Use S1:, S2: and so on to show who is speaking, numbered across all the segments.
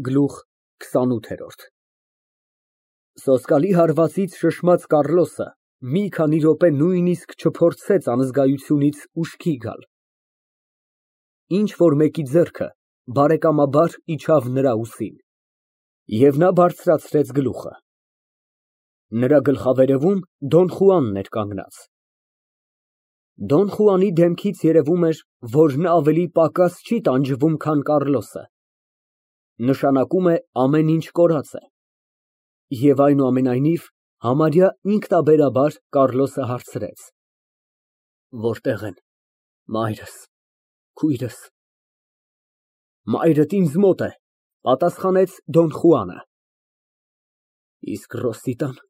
S1: Գլուխ քսանութ Սոսկալի հարվածից շշմած Կառլոսը մի քանի րոպե նույնիսկ չփորձեց անզգայությունից ուշքի գալ։ Ինչ֊որ մեկի ձեռքը բարեկամաբար իջավ նրա ուսին, և նա բարձրացրեց գլուխը։ Նրա գլխավերևում Դոն Խուանն էր կանգնած։ Դոն Խուանի դեմքից երևում էր, որ նա ավելի պակաս չի տանջվում, քան Կառլոսը, նշանակում է ամեն ինչ կորած է։ Եվ այնուամենայնիվ, համարյա ինքնաբերաբար Կառլոսը հարցրեց. Որտե՞ղ են մայրս, քույրս։ Մայրդ ինձ մոտ է, պատասխանեց Դոն Խուանը։ Իսկ Ռոսիտան։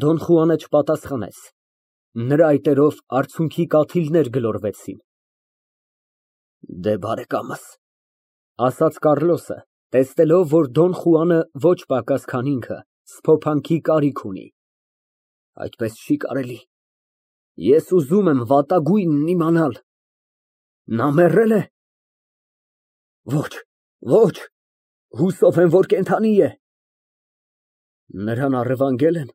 S1: Դոն Խուանը չպատասխանեց, նրա այտերով արցունքի կաթիլներ գլորվեցին։ Դե բարեկամս, ասաց Կառլոսը, տեսնելով, որ Դոն Խուանը ոչ պակաս, քան ինքը սփոփանքի կարիք ունի։ Այդպես չի կարելի, ես ուզում եմ վատագույնն իմանալ, նա մեռե՞լ է։ Ոչ, ոչ, հուսով եմ, որ կենդանի է։ Նրան առևանգել են։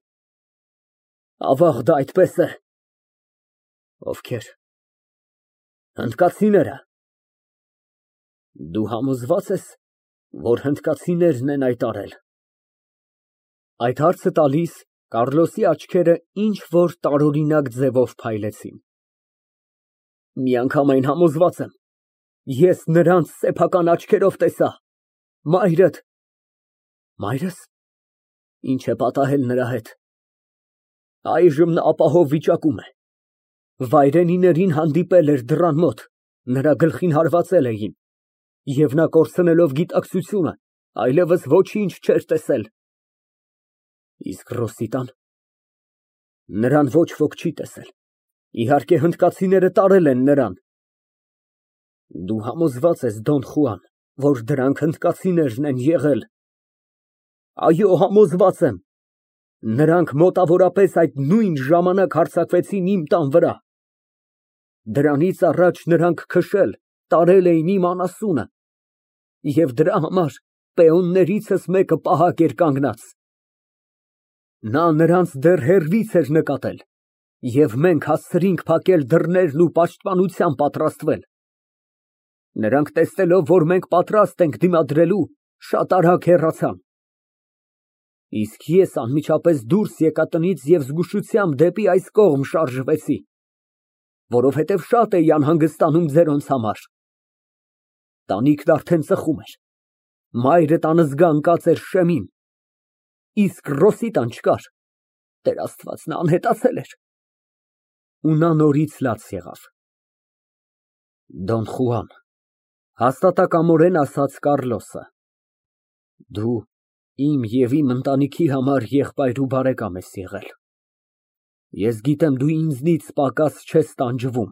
S1: Ավաղ, դա այդպես է։ Ովքեր։ Հնդկացիները։ Դու համոզվա՞ծ ես, որ հնդկացիներն են այդ արել։ Այդ հարցը տալիս, Կառլոսի աչքերը ինչ֊որ տարօրինակ ձևով փայլեցին։ Միանգամայն համոզված եմ, ես նրանց սեփական աչքերով տեսա։ Մայրդ։ Մայրս։ Ինչ է պատահել նրա հետ։ Այժմ նա ապահով վիճակում է։ Վայրենիներին հանդիպել էր դռան մոտ, նրա գլխին հարվածել էին, և նա կորցնելով գիտակցությունը, այլևս ոչինչ չէր տեսել։ Իսկ Ռոսիտան։ Նրան ոչ ոք չի տեսել, իհարկե հնդկացիները տարել են նրան։ Դու համոզված ես, Դոն Խուան, որ դրանք հնդկացիներն են եղել։ Այո, համոզված եմ։ Նրանք մոտավորապես այդ նույն ժամանակ հարձակվեցին իմ տան վրա։ Դրանից առաջ նրանք քշել, տարել էին իմ անասունը, և դրա համար պեոններիցս մեկը պահակ էր կանգնած։ Նա նրանց դեռ հեռվից էր նկատել, և մենք հասցրինք փակել դռներն ու պաշտպանության պատրաստվել։ Նրանք տեսնելով, որ մենք պատրաստ ենք դիմադրելու, շատ արագ հեռացան։ Իսկ ես անմիջապես դուրս եկա տնից և զգուշությամբ դեպի այս կողմ շարժվեցի, որովհետև շատ էի անհանգստանում ձերոնց համար։ Տանիքն արդեն ծխում էր, մայրդ անզգա ընկած էր շեմին, իսկ Ռոսիտան չկար, Տեր Աստված, նա անհետացել էր։ Ու նա նորից լաց եղավ։ Դոն Խուան, հաստատակամորեն ասաց Կառլոսը, դու իմ և իմ ընտանիքի համար եղբայր ու բարեկամ ես եղել։ Ես գիտեմ, դու ինձնից պակաս չես տանջվում,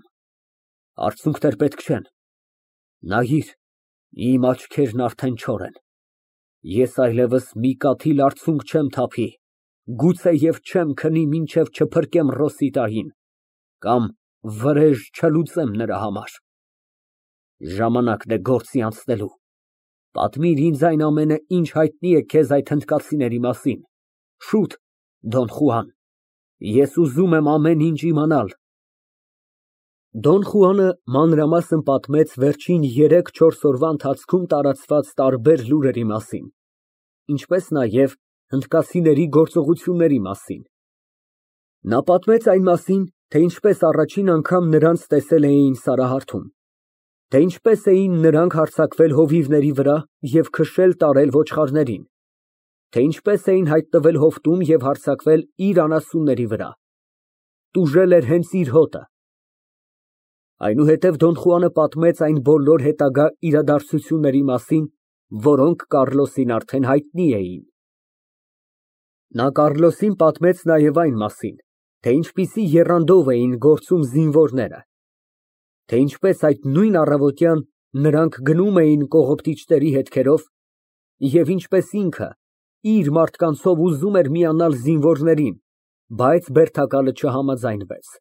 S1: արցունքներ պետք չեն։ Նայիր, իմ աչքերն արդեն չոր են։ Ես այլևս մի կաթիլ արցունք չեմ թափի, գուցեև չեմ քնի, մինչև չփրկեմ Ռոսիտային, կամ վրեժ չլուծեմ նրա համար։ Ժամանակն է գործի անցնելու։ Պատմիր ինձ այն ամենը, ինչ հայտնի է քեզ այդ հնդկացիների մասին։ Շուտ, Դոն Խուան, ես ուզում եմ ամեն ինչ իմանալ։ Դոն Խուանը մանրամասն պատմեց վերջին 3-4 օրվա ընթացքում տարածված տարբեր լուրերի մասին, ինչպես նաև հնդկացիների գործողությունների մասին։ Նա պատմեց այն մասին, թե ինչպես առաջին անգամ նրանց տեսել էին Սարահարթում, թե ինչպես էին նրանք հարձակվել հովիվների վրա և քշել տարել ոչխարներին, թե ինչպես էին հայտնվել հովտում և հարձակվել իր անասունների վրա, տուժել էր հենց իր հոտը։ Այնուհետև Դոն Խուանը պատմեց այն բոլոր հետագա իրադարձությունների մասին, որոնք Կառլոսին արդեն հայտնի էին։ Նա Կառլոսին պատմեց նաև այն մասին, թե ինչպիսի եռանդով էին գործում զինվորները, թե ինչպես այդ նույն առավոտյան նրանք գնում էին կողոպտիչների հետքերով և ինչպես ինքը իր մարդկանցով ուզում էր միանալ զինվորներին, բայց բերդակալը չհամաձայնվեց։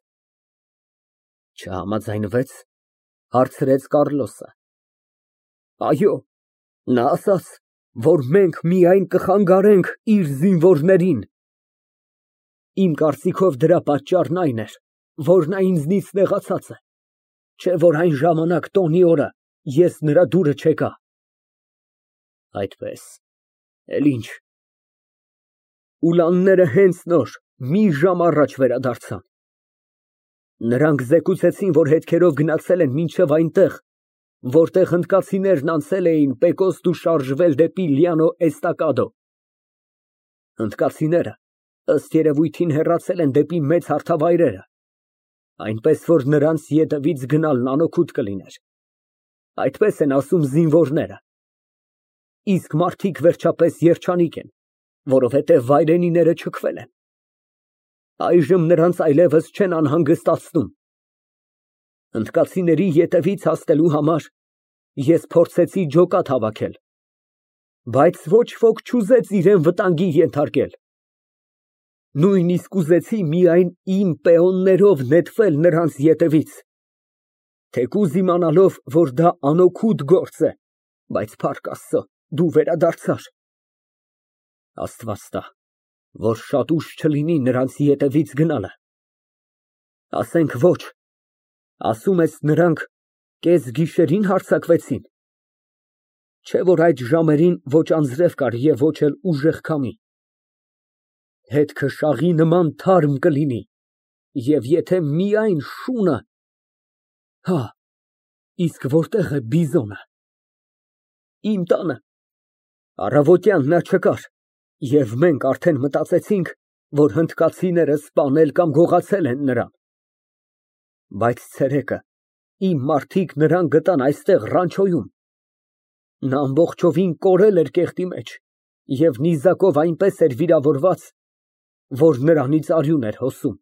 S1: Չհամաձայնվե՞ց, հարցրեց Կառլոսը։ Այո, նա ասաց, որ մենք միայն կխանգարենք իր զինվորներին։ Իմ կարծիքով դրա պատճառն այն էր, որ նա ինձնից նեղացած է, չէ՞ որ այն ժամանակ տոնի օրը ես նրա դուրը չեկա։ Այդպես, էլ ինչ։ Ուլանները հենց նոր մի ժամ առաջ վերադարձան։ Նրանք զեկուցեցին, որ հետքերով գնացել են մինչև այնտեղ, որտեղ հնդկացիներն անցել էին Պեկոստու շարժվել դեպի Լիանո Էստակադո։ Հնդկացիները, ըստ երևույթին, հեռացել են դեպի մեծ հարթավայրերը, այնպես որ նրանց ետևից գնալն անօգուտ կլիներ։ Այդպես են ասում զինվորները։ Իսկ մարդիկ վերջապես երջանիկ են, որովհետև վայրենիները չքվել են։ Այժմ նրանց այլևս չեն անհանգստացնում։ Հնդկացիների ետևից հասնելու համար ես փորձեցի ջոկատ հավաքել, բայց ոչ ոք չուզեց իրան վտանգի ենթարկել։ Նույնիսկ ուզեցի միայն իմ պեոններով նետվել նրանց ետևից, թեկուզ իմանալով, որ դա անօգուտ գործ է, բայց փառք Աստծո, դու վերադարձար։ Աստված տա, որ շատ ուշ չլինի նրանց ետևից գնալը։ Ասենք ոչ, ասում ես նրանք կեսգիշերին հարձակվեցին, չէ՞ որ այդ ժամերին ոչ անձրև կար և ոչ էլ ուժեղ քամի։ Հետքը շաղի նման թարմ կլինի, և եթե միայն շունը… Հա, իսկ որտե՞ղ է Բիզոնը։ Իմ տանը։ Առավոտյան նա չկար, և մենք արդեն մտածեցինք, որ հնդկացիները սպանել կամ գողացել են նրան։ Բայց ցերեկը իմ մարդիկ նրան գտան այստեղ Ռանչոյում։ Նա ամբողջովին կորել էր կեղտի մեջ և նիզակով այնպես էր վիրավորված, որ նրանից արյուն էր հոսում։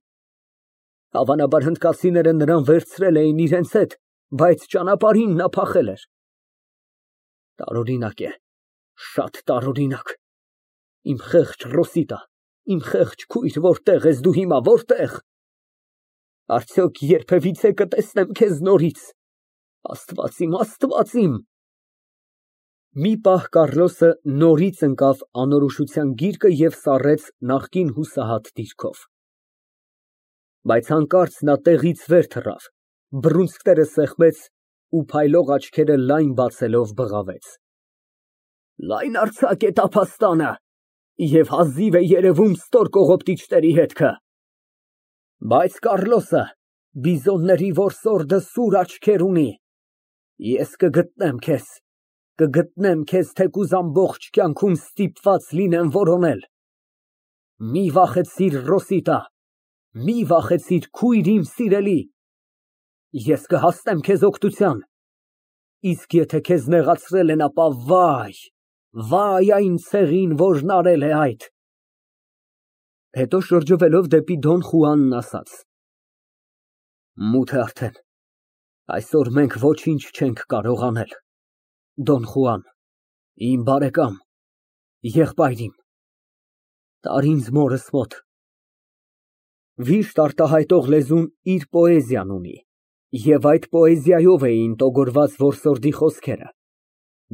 S1: Հավանաբար հնդկացիները նրան վերցրել էին իրենց հետ, բայց ճանապարհին նա փախել էր։ Տարօրինակ է, շատ տարօրինակ։ Իմ խեղճ Ռոսիտա, իմ խեղճ քույր, որտե՞ղ ես դու հիմա, որտե՞ղ։ Արդյոք երբևիցե կտեսնեմ քեզ նորից։ Աստված իմ, Աստված իմ։ Մի պահ Կառլոսը նորից ընկավ անորոշության գիրկը և սառեց նախկին հուսահատ դիրքով։ Բայց հանկարծ նա տեղից վեր թռավ, բռունցքները սեղմեց ու փայլող աչքերը լայն բացելով բղավեց. Լայն արձակ է տափաստանը, և հազիվ է երևում ստոր կողոպտիչների հետքը։ Բայց Կառլոսը, բիզոնների որսորդը, սուր աչքեր ունի։ Ես կգտնեմ քեզ թեկուզ ամբողջ կյանքում ստիպված լինեմ որոնել։ Մի վախեցիր, Ռոսիտա, մի վախեցիր, քույր իմ սիրելի, ես կհասնեմ քեզ օգնության, իսկ եթե քեզ նեղացրել են, ապա վայ, վայ այն ցեղին, որն արել է այդ։ Հետո շրջվելով դեպի Դոն Խուանն ասաց. Մութ է արդեն, այսօր մենք ոչինչ չենք կարող անել։ Դոն Խուան, իմ բարեկամ, եղբայր իմ, տար ինձ մորս մոտ։ Վիշտ արտահայտող լեզուն իր պոեզիան ունի, և այդ պոեզիայով էին տոգորված որսորդի խոսքերը,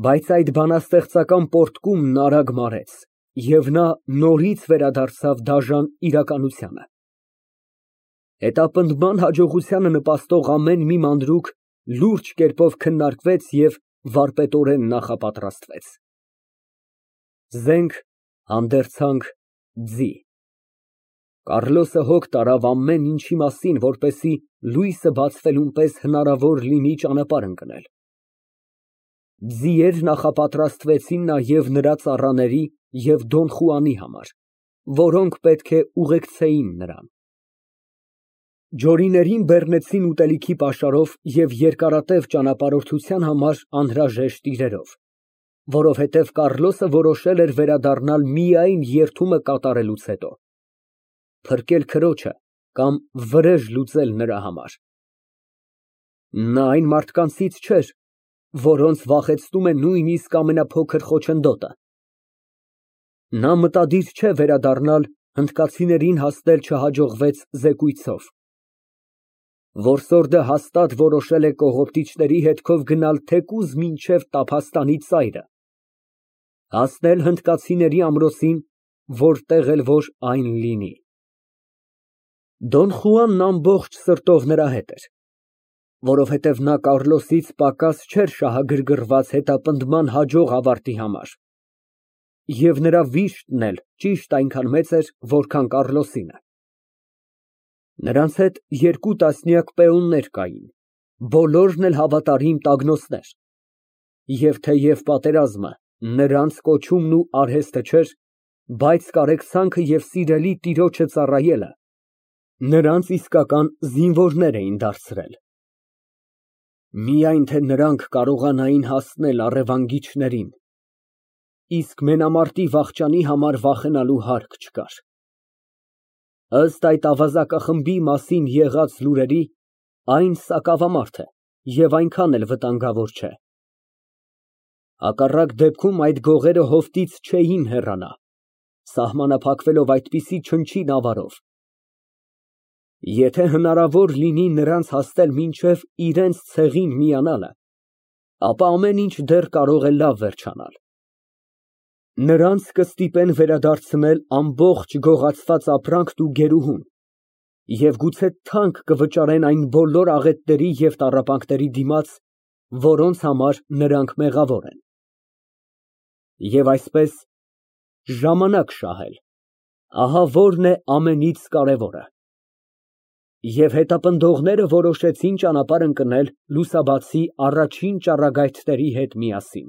S1: բայց այդ բանաստեղծական պոռթկումն արագ մարեց, և նա նորից վերադարձավ դաժան իրականությանը։ Հետապնդման հաջողությանը նպաստող ամեն մի մանրուք լուրջ կերպով քննարկվեց և վարպետորեն նախապատրաստվեց։ Զենք, հանդերձանք, ձի։ Կառլոսը հոգ տարավ ամեն ինչի մասին, որպեսզի լույսը բացվելուն պես հնարավոր լինի ճանապարհ ընկնել։ Ձիեր նախապատրաստվեցին նաև նրա ծառաների և Դոն Խուանի համար, որոնք պետք է ուղեկցեին նրան։ Ջորիներին բեռնեցին ուտելիքի պաշարով և երկարատև ճանապարհորդության համար անհրաժեշտ իրերով, որովհետև Կառլոսը որոշել էր վերադառնալ միայն երթումը կատարելուց հետո, փրկել քրոջը կամ վրեժ լուծել նրա համար։ Նա այն մարդկանցից չէր, որոնց վախեցնում է նույնիսկ ամենափոքր խոչընդոտը։ Նա մտադիր չէ վերադառնալ հնդկացիներին հասնել չհաջողվեց զեկույցով։ Որսորդը հաստատ որոշել է կողոպտիչների հետքով գնալ թեկուզ մինչև Տափաստանի ծայրը։ Հասնել հնդկացիների ամրոցին, որտեղ էլ որ այն լինի։ Դոն Խուանն ամբողջ սրտով նրա հետ էր, որովհետև նա Կառլոսից պակաս չէր շահագրգռված հետապնդման հաջող ավարտի համար, և նրա վիշտն էլ ճիշտ այնքան մեծ էր, որքան Կառլոսինը։ Նրանց հետ 2 տասնյակ պեոններ կային, բոլորն էլ հավատարիմ տագնոցներ, և թեև պատերազմը նրանց կոչումն ու արհեստը չէր, բայց կարեկցանքը և սիրելի տիրոջը ծառայելը նրանց իսկական զինվորներ էին դարձրել։ Միայն թե նրանք կարողանային հասնել առևանգիչներին, իսկ մենամարտի վախճանի համար վախենալու հարկ չկար։ Ըստ այդ ավազակախմբի մասին եղած լուրերի, այն սակավամարդ է և այնքան էլ վտանգավոր չէ։ Հակառակ դեպքում այդ գողերը հովտից չէին հեռանա, սահմանափակվելով այդպիսի չնչին ավարով։ Եթե հնարավոր լինի նրանց հասնել մինչև իրենց ցեղին միանալը, ապա ամեն ինչ դեռ կարող է լավ վերջանալ։ Նրանց կստիպեն վերադարձնել ամբողջ գողացված ապրանքն ու գերուհուն և գուցե թանկ կվճարեն այն բոլոր աղետների և տառապանքների դիմաց, որոնց համար նրանք մեղավոր են։ Եվ այսպես ժամանակ շահել, ահա որն է ամենից կարևորը։ Եվ հետապնդողները որոշեցին ճանապարհ ընկնել լուսաբացի առաջին ճառագայթների հետ միասին։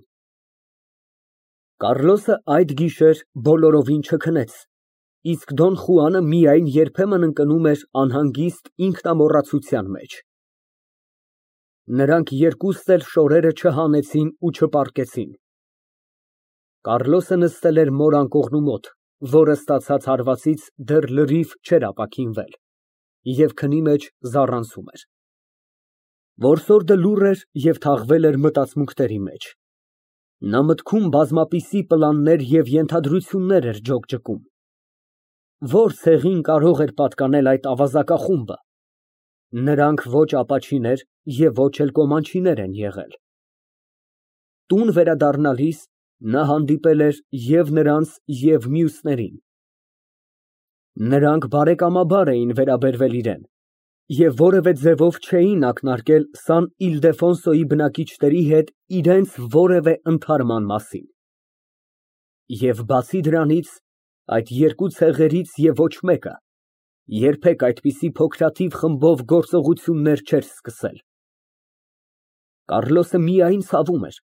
S1: Կառլոսը այդ գիշեր բոլորովին չքնեց, իսկ Դոն Խուանը միայն երբեմն ընկնում էր անհանգիստ ինքնամոռացության մեջ։ Նրանք երկուստ էլ շորերը չհանեցին ու չպառկեցին։ Կառլոսը նստել էր մոր անկողնու մոտ, որը ստացած հարվածից դեռ լրիվ չէր ապաքինվել, և քնի մեջ զառանցում էր։ Որսորդը լուռ էր և թաղվել էր մտածմունքների մեջ։ Նա մտքում բազմապիսի պլաններ և ենթադրություններ էր ջոկջկում։ Ո՞ր ցեղին կարող էր պատկանել այդ ավազակախումբը։ Նրանք ոչ ապաչիներ և ոչ էլ կոմանչիներ են եղել։ Տուն վերադառնալիս նա հանդիպել էր և նրանց, և մյուսներին։ Նրանք բարեկամաբար էին վերաբերվել իրան և որևէ ձևով չէին ակնարկել Սան Իլդեֆոնսոյի բնակիչների հետ իրենց որևէ ընդհարման մասին։ Եվ բացի դրանից, այդ երկու ցեղերից և ոչ մեկը երբեք այդպիսի փոքրաթիվ խմբով գործողություններ չէր սկսել։ Կառլոսը միայն ցավում էր,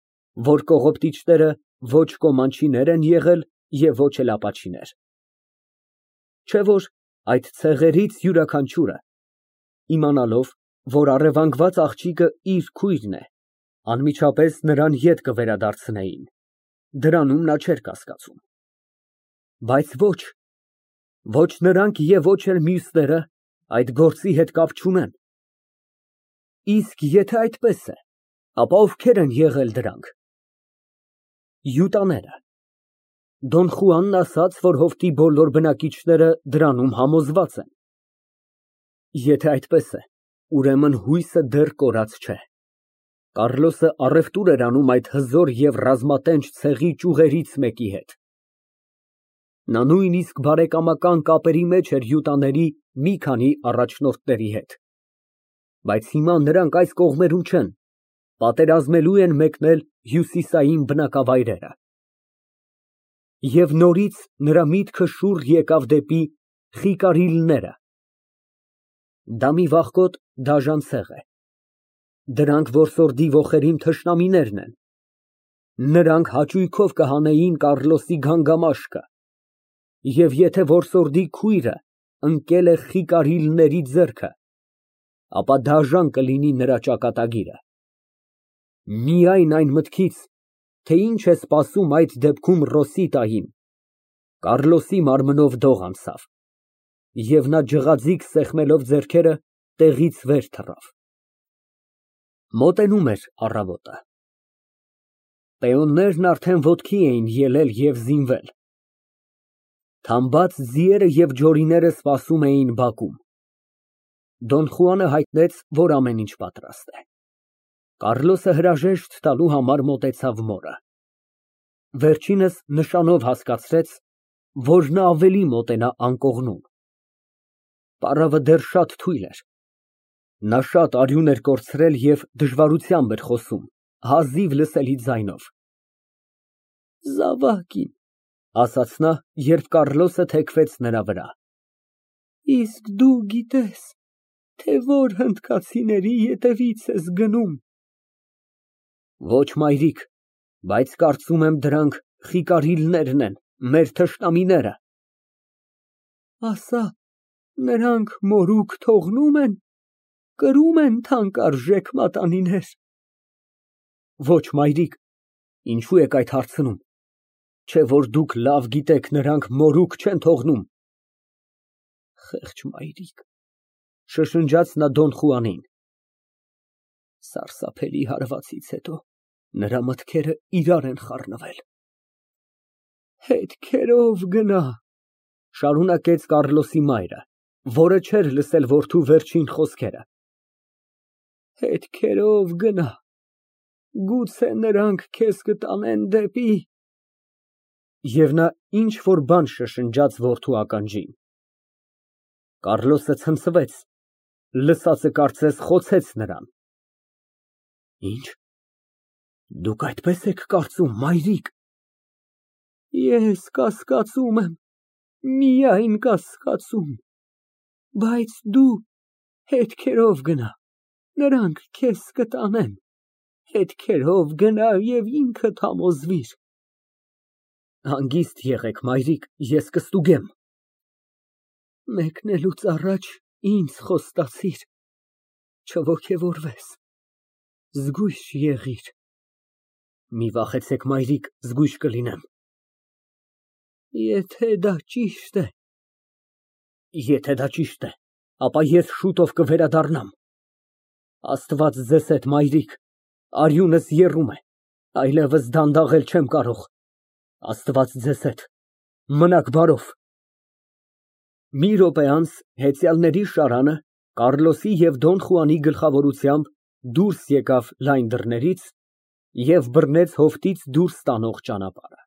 S1: որ կողոպտիչները ոչ կոմանչիներ են եղել և ոչ էլ ապաչիներ։ Չէ՞ որ այդ ցեղերից յուրաքանչյուրը, իմանալով, որ առևանգված աղջիկը իր քույրն է, անմիջապես նրան ետ կվերադարձնեին, դրանում նա չէր կասկածում։ Բայց ոչ նրանք և ոչ էլ մյուսները այդ գործի հետ կապ չունեն։ Իսկ եթե այդպես է, ապա ովքե՞ր են եղել դրանք։ Յուտաները։ Դոն Խուանն ասաց, որ հովտի բոլոր բնակիչները դրանում համոզված են։ Եթե այդպես է, ուրեմն հույսը դեռ կորած չէ։ Կառլոսը առևտուր էր անում այդ հզոր և ռազմատենչ ցեղի ճյուղերից մեկի հետ։ Նա նույնիսկ բարեկամական կապերի մեջ էր յուտաների մի քանի առաջնորդների հետ։ Բայց հիմա նրանք այս կողմերում չեն, պատերազմելու են մեկնել հյուսիսային բնակավայրերը։ Եվ նորից նրա միտքը շուռ եկավ դեպի Խիկարիլները։ Դա մի վախկոտ, դաժան ցեղ է։ Դրանք որսորդի ոխերիմ թշնամիներն են։ Նրանք հաճույքով կհանեին Կառլոսի գանգամաշկը, և եթե որսորդի քույրը ընկել է Խիկարիլների ձեռքը, ապա դաժան կլինի նրա ճակատագիրը։ Միայն այն մտքից, թե ինչ է սպասում այդ դեպքում Ռոսիտային, Կառլոսի մարմնով դող անցավ, և նա ջղաձիգ սեղմելով ձեռքերը, տեղից վեր թռավ։ Մոտենում էր առավոտը։ Պեոններն արդեն ոտքի էին ելել և զինվել։ Թամբած ձիերը և ջորիները սպասում էին բակում։ Դոն Խուանը հայտնեց, որ ամեն ինչ պատրաստ է։ Կառլոսը հրաժեշտ տալու համար մոտեցավ մորը։ Վերջինս նշանով հասկացրեց, որ նա ավելի մոտենա անկողնուն։ Պարավը դեռ շատ թույլ էր։ Նա շատ արյուն էր կորցրել և դժվարությամբ էր խոսում, հազիվ լսելի ձայնով։ Զավակ իմ, ասաց նա, երբ Կառլոսը թեքվեց նրա վրա, իսկ դու գիտես, թե որ հնդկացիների ետևից ես գնում։ Ոչ, մայրիկ, բայց կարծում եմ դրանք Խիկարիլներն են, մեր թշնամիները։ Ասա, նրանք մորուք թողնո՞ւմ են, կրում են թանկարժեք մատանիներ։ Ոչ, մայրիկ, ինչու եք այդ հարցնում, չէ որ դուք լավ գիտեք, նրանք մորուք չեն թողնում։ Խեղճ մայրիկ, շշնջաց նա Դոն Խուանին։ Սարսափելի հարվածից հետո նրա մտքերը իրար են խառնվել։ Հետքերով գնա, շարունակեց Կառլոսի մայրը, որը չէր լսել որդու վերջին խոսքերը։ Հետքերով գնա, գուցե նրանք քեզ կտանեն դեպի… Եվ նա ինչ֊որ բան շշնջաց որդու ականջին։ Կառլոսը ցնցվեց, լսածը կարծես խոցեց նրան։ Ինչ, դուք այդպես եք կարծում, մայրիկ։ Ես կասկածում եմ, միայն կասկածում, բայց դու հետքերով գնա, նրանք քեզ կտանեն, հետքերով գնա և ինքդ համոզվիր։ Հանգիստ եղեք, մայրիկ, ես կստուգեմ։ Մեկնելուց առաջ ինձ խոստացիր, չոգևորվես, զգույշ եղիր։ Մի վախեցեք, մայրիկ, զգույշ կլինեմ։ Եթե դա ճիշտ է… Եթե դա ճիշտ է, ապա ես շուտով կվերադառնամ։ Աստված ձեզ հետ, մայրիկ, արյունս եռում է, այլևս դանդաղել չեմ կարող։ Աստված ձեզ հետ, մնաք բարով։ Մի րոպե անց հեծյալների շարանը Կառլոսի և Դոն Խուանի գլխավորությամբ դուրս եկավ լայն դռներից և բռնեց հովտից դուրս տանող ճանապարհը։